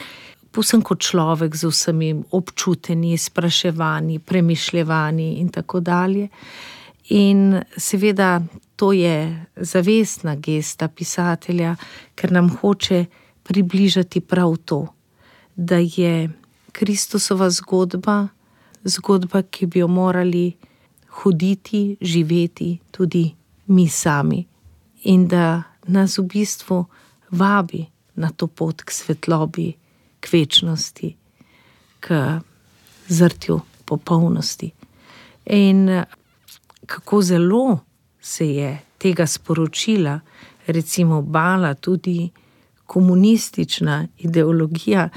B: povsem kot človek z vsemi občutenji, spraševanji, premišljevanji in tako dalje. In seveda to je zavestna gesta pisatelja, ker nam hoče približati prav to, da je Kristusova zgodba, ki bi jo morali hoditi, živeti tudi mi sami. In da nas v bistvu vabi na to pot k svetlobi, k večnosti, k zrtju popolnosti. In kako zelo se je tega sporočila recimo bala tudi komunistična ideologija.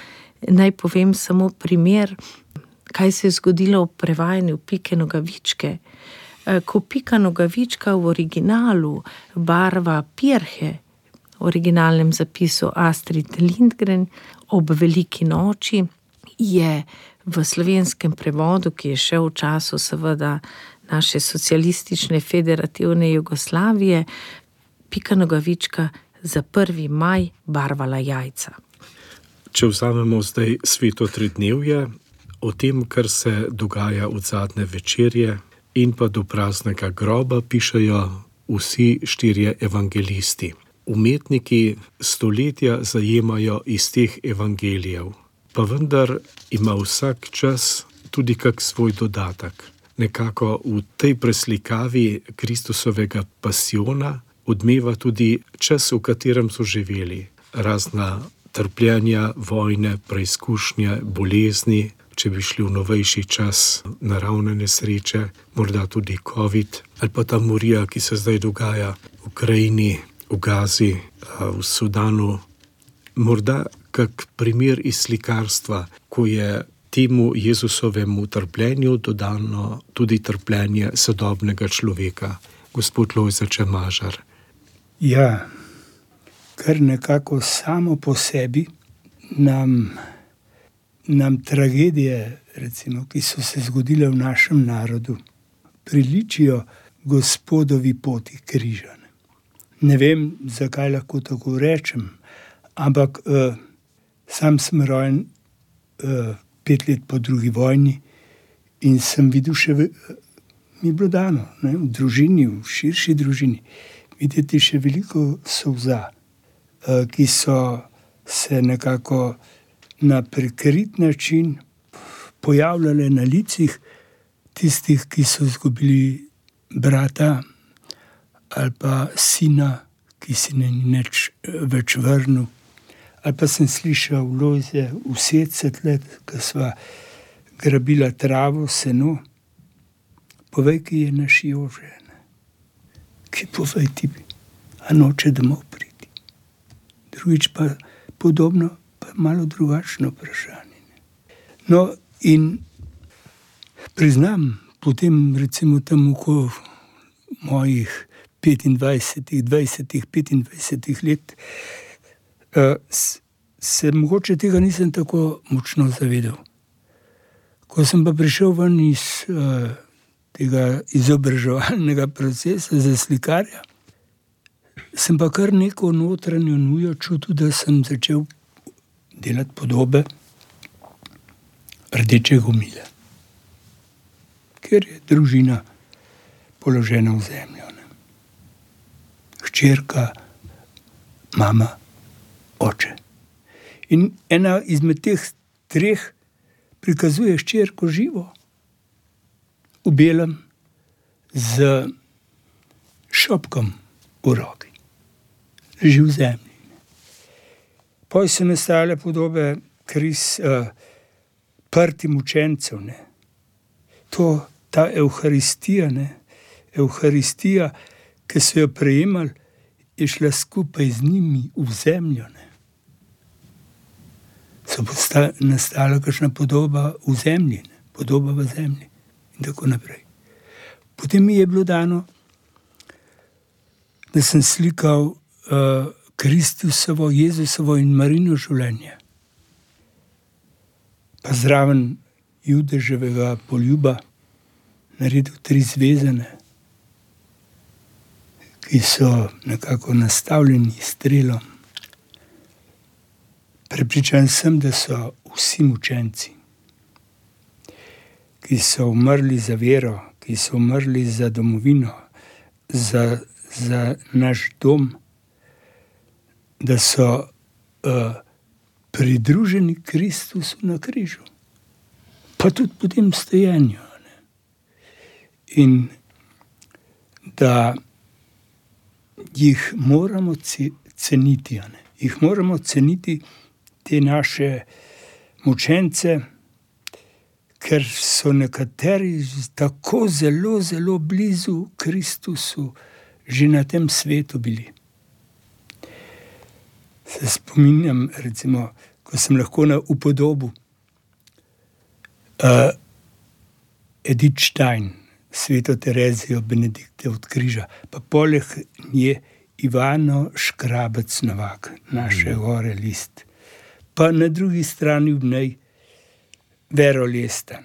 B: Naj povem samo primer, kaj se je zgodilo v prevajanju Pike Nogavičke. Ko Pika Nogavička v originalu barva pirhe, v originalnem zapisu Astrid Lindgren, ob veliki noči, je v slovenskem prevodu, ki je šel v času seveda naše socialistične federativne Jugoslavije, Pika Nogavička za 1. maj barvala jajca.
A: Če vzamemo zdaj sveto tridnevje, o tem, kar se dogaja od zadnje večerje in pa do praznega groba, pišejo vsi 4 evangelisti. Umetniki stoletja zajemajo iz teh evangelijev, pa vendar ima vsak čas tudi kak svoj dodatek. Nekako v tej preslikavi Kristusovega pasiona odmeva tudi čas, v katerem so živeli. Razna trpljenja, vojne, preizkušnje, bolezni, če bi šli v novejši čas, naravne nesreče, morda tudi COVID, ali pa ta morija, ki se zdaj dogaja v Ukrajini, v Gazi, v Sudanu. Morda kak primer iz slikarstva, ko je temu Jezusovemu trpljenju dodano tudi trpljenje sodobnega človeka. Gospod Lojze Čemažar.
D: Ja, kar nekako samo po sebi nam tragedije, recimo, ki so se zgodile v našem narodu, priličijo Gospodovi poti križa. Ne vem, zakaj lahko tako rečem, ampak sam sem rojen 5 let po drugi vojni in sem videl mi je bilo dano, v družini, v širši družini, videti še veliko solza, ki so se nekako na prikrit način pojavljale na licih tistih, ki so izgubili brata ali pa sina, ki si ne ni več vrnil. Ali pa sem slišal Lojze v Setcetle, ko sva grabila travo, seno. Povej, ki je naš Jože. Ki povej ti, a noče domov priti. Drugič pa podobno, pa malo drugačno vprašanje. No, in priznam, potem recimo tam okoli mojih 25 let, se mogoče tega nisem tako močno zavedal. Ko sem pa prišel ven iz tega izobraževalnega procesa za slikarja, sem pa kar neko notranjo nujo čutil, da sem začel delati podobe rdečega omilja, ker je družina položena v zemljo. Hčerka, mama, oče. In ena izmed teh 3 prikazuje hčerko živo, v belem, z šopkom v roki. Leži v zemlji. Potem so nastale podobe prtim učencev. Ta Evharistija, Evharistija, ki so jo prejemali, je šla skupaj z njimi v zemljo. So nastala kakšna podoba v zemlji, podoba v zemlji in tako naprej. Potem mi je bilo dano, da sem slikal Kristusovo, Jezusovo in Marino življenje. Pa zraven Judeževega poljuba naredil 3 zvezane, ki so nekako nastavljeni strelom. Prepričan sem, da so vsi mučenci, ki so umrli za vero, ki so umrli za domovino, za naš dom, da so pridruženi Kristusu na križu, pa tudi po tem stojenju. In da jih moramo ceniti. Jih moramo ceniti, te naše mučence, ker so nekateri tako zelo, zelo blizu Kristusu že na tem svetu bili. Se spominjam, recimo, ko sem lahko na upodobu Edith Stein, Sveto Terezijo Benedikte od križa, pa poleg nje Ivano Škrabec Novak, naše gore list. Pa na drugi strani v njej Vero Lestan.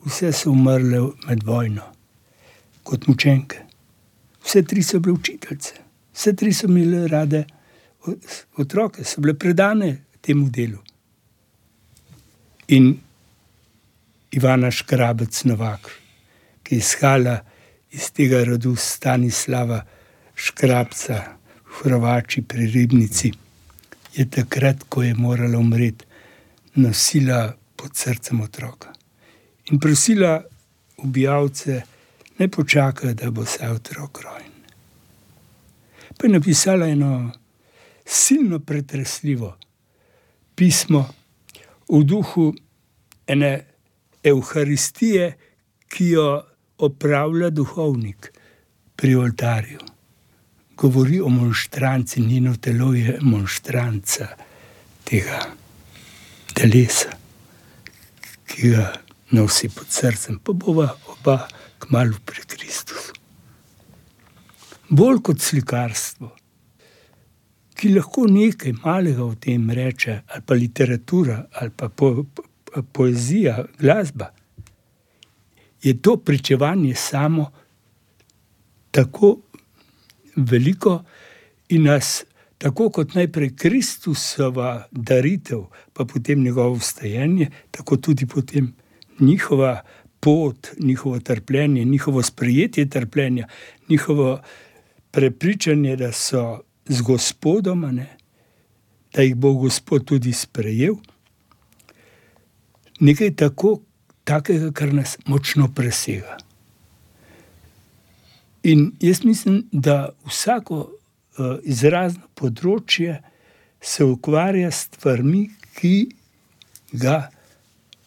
D: Vse so umrle med vojno kot mučenke. Vse 3 so bile učiteljice. Vse 3 so imele rade otroke, so bile predane temu delu. In Ivana Škrabec Novak, ki je izhala iz tega rodu Stanislava Škrabca v Hrvači pri Ribnici, je takrat, ko je morala umreti, nosila pod srcem otroka. In prosila ubijalce, ne počakajo, da bo se otrok rojen. Pa je napisala eno silno pretresljivo pismo v duhu ene Evharistije, ki jo opravlja duhovnik pri oltarju. Govori o monštranci, njeno telo je monštranca tega telesa, ki ga nosi pod srcem, pa bova oba kmalu pri Kristusu. Bolj kot slikarstvo, ki lahko nekaj malega o tem reče, ali pa literatura, ali pa poezija, glasba, je to pričevanje samo tako veliko in nas, tako kot najprej Kristusova daritev, pa potem njegovo vstajenje, tako tudi potem njihova pot, njihovo trpljenje, njihovo sprejetje trpljenja, njihovo prepričanje, da so z Gospodom, da jih bo Gospod tudi sprejel. Nekaj takega, kar nas močno presega. In jaz mislim, da vsako izrazno področje se ukvarja s stvarmi, ki ga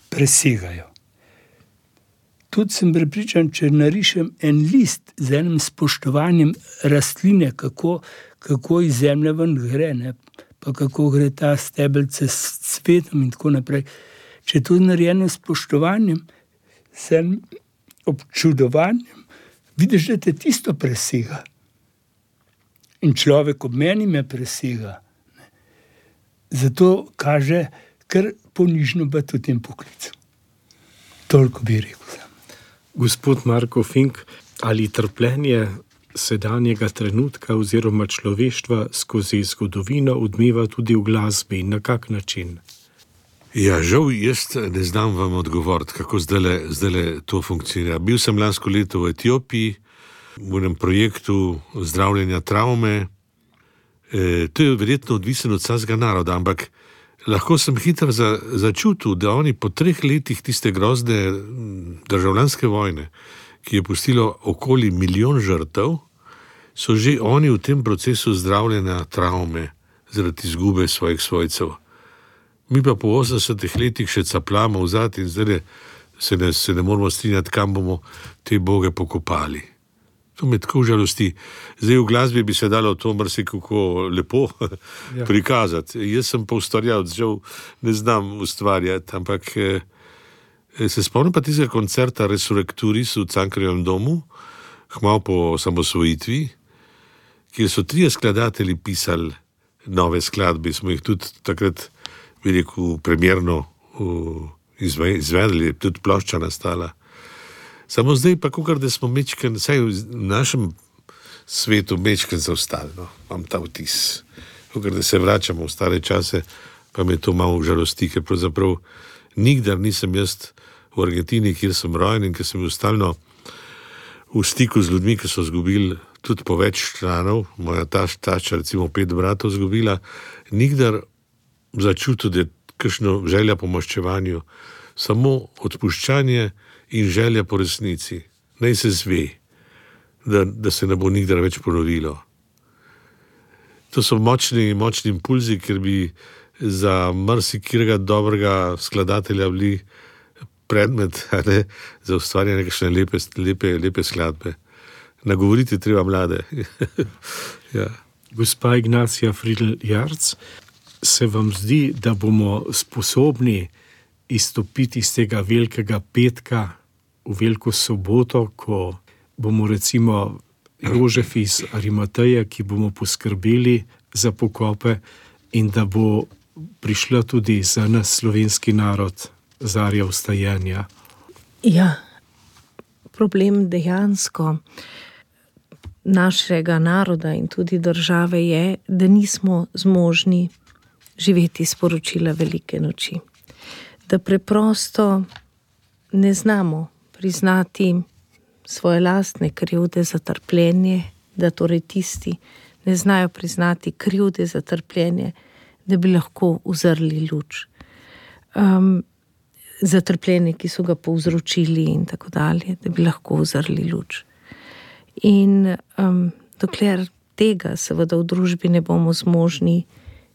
D: presegajo. Tudi sem prepričan, če narišem en list z enim spoštovanjem rastline, kako iz zemlje ven gre, pa kako gre ta stebelce s cvetom in tako naprej. Če je to narejeno s spoštovanjem, s enim občudovanjem, vidiš, da te tisto presega. In človek ob meni me presega. Zato kaže kar ponižno biti v tem poklicu. Toliko bi rekel.
A: Gospod Marko Fink, ali trpljenje sedanjega trenutka oziroma človeštva skozi zgodovino odmeva tudi v glasbi in na kak način?
C: Ja, žal, jaz ne znam vam odgovoriti, kako zdajle to funkcionira. Bil sem lansko leto v Etiopiji, v enem projektu zdravljenja travme. To je verjetno odvisno od vsakega naroda, ampak lahko sem hitro začutil, da oni po 3 letih tiste grozne državljanske vojne, ki je pustilo okoli 1 milijon žrtev, so že oni v tem procesu zdravljenja travme zaradi izgube svojih svojcev. Mi pa po 80 letih še capljamo vzad in zdaj se ne moramo strinjati, kam bomo te boge pokopali. To me tako žalosti. Zdaj v glasbi bi se dalo to marsikako lepo prikazati. Jaz sem pa ustvarjalec, žal ne znam ustvarjati, ampak se spomnim pa tistega koncerta Resurrecturis v Cankarjevem domu, kmalu po osamosvojitvi, kjer so 3 skladatelji pisali nove skladbe. Smo jih tudi takrat, bi rekel, premjerno izvedli, tudi plošča nastala. Samo zdaj pa, kakor da smo mečken, vsaj v našem svetu mečken zaostali, imam ta vtis. Kakor da se vračamo v stare čase, pa me to malo žalosti, ker pravzaprav nikdar nisem jaz v Argentini, kjer sem rojen in ker sem bil stalno v stiku z ljudmi, ki so izgubili tudi po več članov, moja tašča recimo 5 bratov izgubila, nikdar začutil, da je kakšno želja po maščevanju, samo odpuščanje in želja po resnici. Naj se zve, da se ne bo nikdar več ponovilo. To so močni impulzi, ker bi za marsikirega dobrega skladatelja bili predmet, za ustvarjanje kakšne lepe skladbe. Nagovoriti treba mlade. Ja.
A: Gospa Ignacija Fridl-Jarc, se vam zdi, da bomo sposobni izstopiti iz tega velikega petka v veliko soboto, ko bomo recimo Jožef iz Arimateja, ki bomo poskrbeli za pokope in da bo prišla tudi za nas slovenski narod zarja vstajenja?
B: Ja, problem dejansko našega naroda in tudi države je, da nismo zmožni živeti sporočila velike noči. Da preprosto ne znamo priznati svoje lastne krivde za trpljenje, da torej tisti ne znajo priznati krivde za trpljenje, da bi lahko uzrli luč. Za trpljenje, ki so ga povzročili in tako dalje, da bi lahko uzrli luč. In dokler tega seveda v družbi ne bomo zmožni,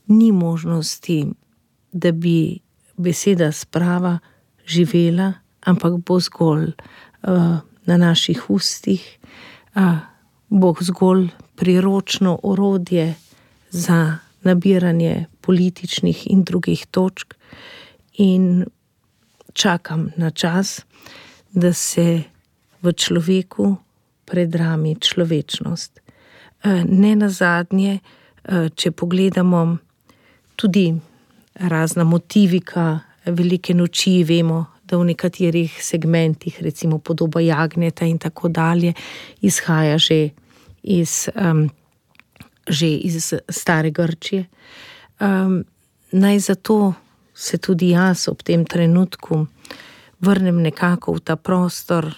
B: ni možnosti, da bi beseda sprava živela, ampak bo zgolj na naših ustih, bo zgolj priročno orodje za nabiranje političnih in drugih točk in čakam na čas, da se v človeku predrami človečnost. Ne nazadnje, če pogledamo tudi razna motivika Velike noči, vemo, da v nekaterih segmentih, recimo podoba jagnjeta in tako dalje, izhaja že iz stare Grčije. Naj zato se tudi jaz ob tem trenutku vrnem nekako v ta prostor,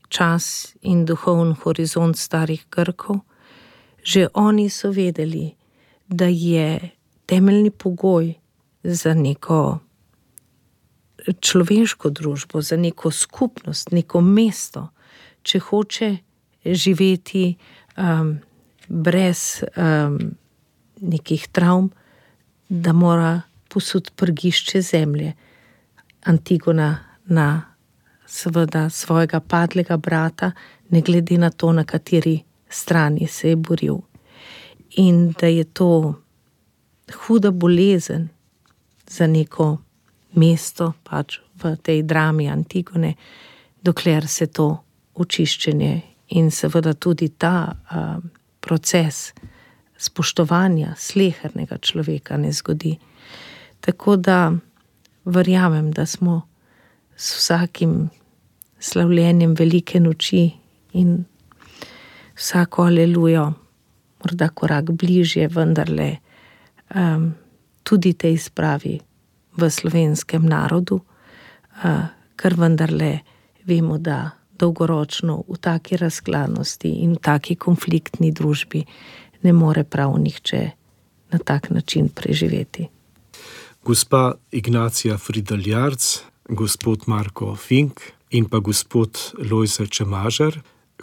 B: čas in duhovni horizont starih Grkov. Že oni so vedeli, da je temeljni pogoj za neko človeško družbo, za neko skupnost, neko mesto, če hoče živeti brez nekih travm, da mora posuti prgišče zemlje. Antigona na seveda svojega padlega brata, ne glede na to, na kateri strani se je boril. In da je to huda bolezen za neko mesto, pač v tej drami Antigone, dokler se to očiščenje in seveda tudi ta proces spoštovanja slehernega človeka ne zgodi. Tako da verjamem, da smo s vsakim slavljenjem Velike noči in vsako alelujo morda korak bližje vendarle tudi tej spravi v slovenskem narodu, ker vendarle vemo, da dolgoročno v taki razklanosti in v taki konfliktni družbi ne more prav nihče na tak način preživeti.
A: Gospa Ignacija Fridl-Jarc, gospod Marko Fink in pa gospod Lojze Čemažer,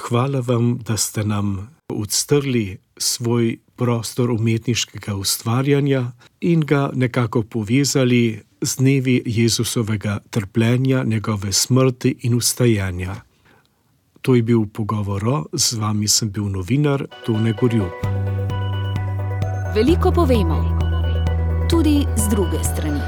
A: hvala vam, da ste nam odstrli svoj prostor umetniškega ustvarjanja in ga nekako povezali z dnevi Jezusovega trpljenja, njegove smrti in vstajanja. To je bil Pogovor, z vami sem bil novinar Tone Gorjup.
E: Veliko povemo, tudi z druge strani.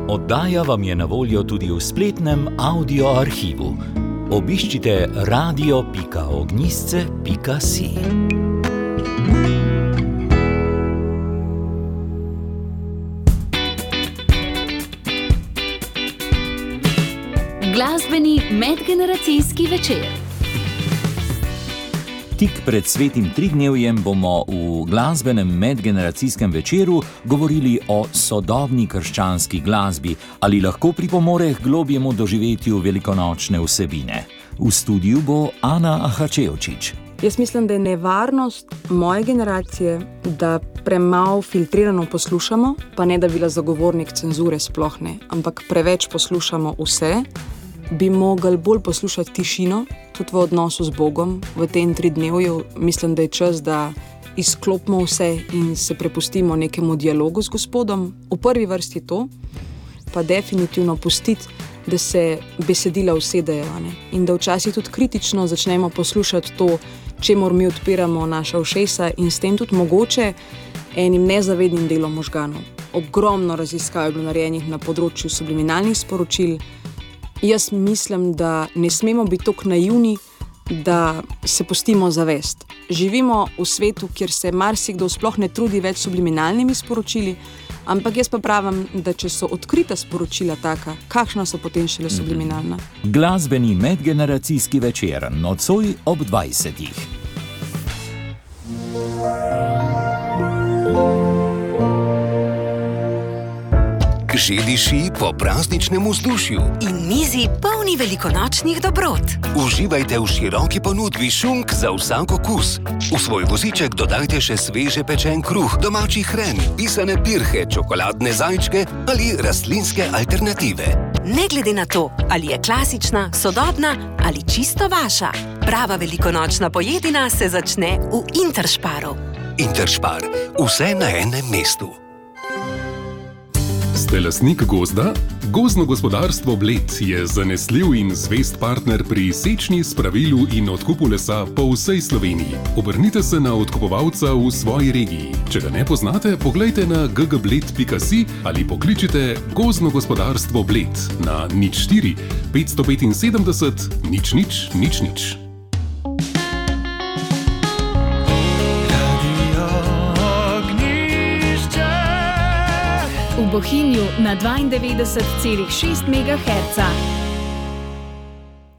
F: Oddaja vam je na voljo tudi v spletnem audio arhivu. Obiščite radio.ognjisce.si.
E: Glasbeni medgeneracijski večer.
F: Tik pred svetim tridnevjem bomo v glasbenem medgeneracijskem večeru govorili o sodobni krščanski glasbi, ali lahko pripomore k globjemu doživetju velikonočne vsebine. V studiu bo Ana Ahačevčič.
G: Jaz mislim, da je nevarnost moje generacije, da premalo filtrirano poslušamo, pa ne da bila zagovornik cenzure sploh ne, ampak preveč poslušamo vse, bi mogli bolj poslušati tišino, tudi v odnosu z Bogom, v tem tridnevju. Mislim, da je čas, da izklopimo vse in se prepustimo nekemu dialogu z Gospodom. V prvi vrsti to, pa definitivno pustiti, da se besedila usedejo, ne? In da včasih tudi kritično začnemo poslušati to, čemur mi odpiramo naša ušesa in s tem tudi mogoče enim nezavednim delom možganov. Ogromno raziskav je bilo narejenih na področju subliminalnih sporočil. Jaz mislim, da ne smemo biti tako naivni, da se pustimo zavest. Živimo v svetu, kjer se marsikdo sploh ne trudi več subliminalnimi sporočili, ampak jaz pa pravim, da če so odkrita sporočila taka, kakšna so potem šele subliminalna.
F: Glasbeni medgeneracijski večer, nocoj ob 20.
H: Že diši po prazničnem vzdušju
I: in mizi polni velikonočnih dobrot.
H: Uživajte v široki ponudbi šunk za vsak okus. V svoj voziček dodajte še sveže pečen kruh, domači hren, pisane pirhe, čokoladne zajčke ali rastlinske alternative.
I: Ne glede na to, ali je klasična, sodobna ali čisto vaša, prava velikonočna pojedina se začne v Interšparu.
H: Interšpar, vse na enem mestu.
J: Ste lastnik gozda? Gozdno gospodarstvo Bled je zanesljiv in zvest partner pri sečnji, spravilu in odkupu lesa po vsej Sloveniji. Obrnite se na odkupovalca v svoji regiji. Če ga ne poznate, poglejte na ggbled.si ali pokličite Gozdno gospodarstvo Bled na 04 575 0000.
E: V Bohinju na 92,6 MHz.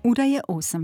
E: Ura je 8.